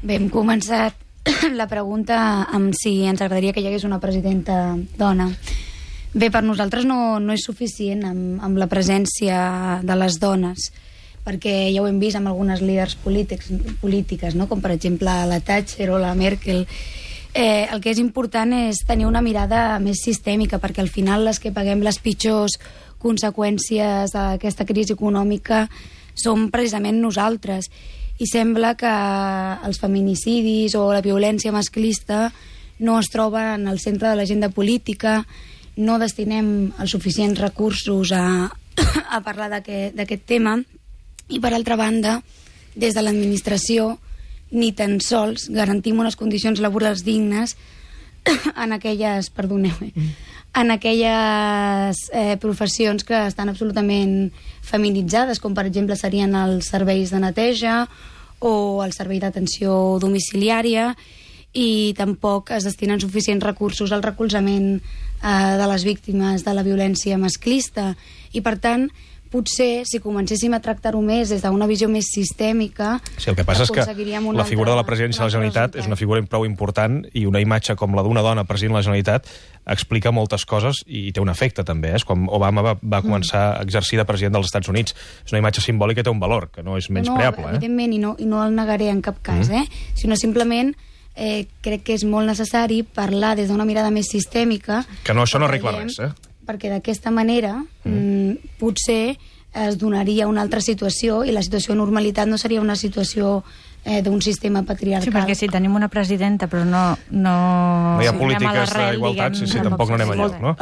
Bé, hem començat la pregunta amb si ens agradaria que hi hagués una presidenta dona. Bé, per nosaltres no és suficient amb la presència de les dones, perquè ja ho hem vist amb algunes líders polítiques, no? Com per exemple la Thatcher o la Merkel. El que és important és tenir una mirada més sistèmica, perquè al final les que paguem les pitjors conseqüències d'aquesta crisi econòmica som precisament nosaltres. I sembla que els feminicidis o la violència masclista no es troben al centre de l'agenda política, no destinem els suficients recursos a parlar d'aquest tema, i per altra banda, des de l'administració ni tan sols garantim unes condicions laborals dignes en aquelles, en aquelles professions que estan absolutament feminitzades, com per exemple serien els serveis de neteja o el servei d'atenció domiciliària, i tampoc es destinen suficients recursos al recolzament de les víctimes de la violència masclista. I per tant, potser, si comencéssim a tractar-ho més des d'una visió més sistèmica... Sí, el que passa és que la figura de la presidència de la Generalitat és una figura prou important, i una imatge com la d'una dona president de la Generalitat explica moltes coses i té un efecte també. És com Obama va començar a exercir de president dels Estats Units. És una imatge simbòlica i té un valor, que no és menyspreable. No, evidentment, i no el negaré en cap cas, sinó simplement crec que és molt necessari parlar des d'una mirada més sistèmica. Que no, això no arregla res, perquè d'aquesta manera potser es donaria una altra situació, i la situació de normalitat no seria una situació d'un sistema patriarcal. Sí, perquè si tenim una presidenta però no hi ha polítiques d'igualtat, tampoc no anem enlloc, no?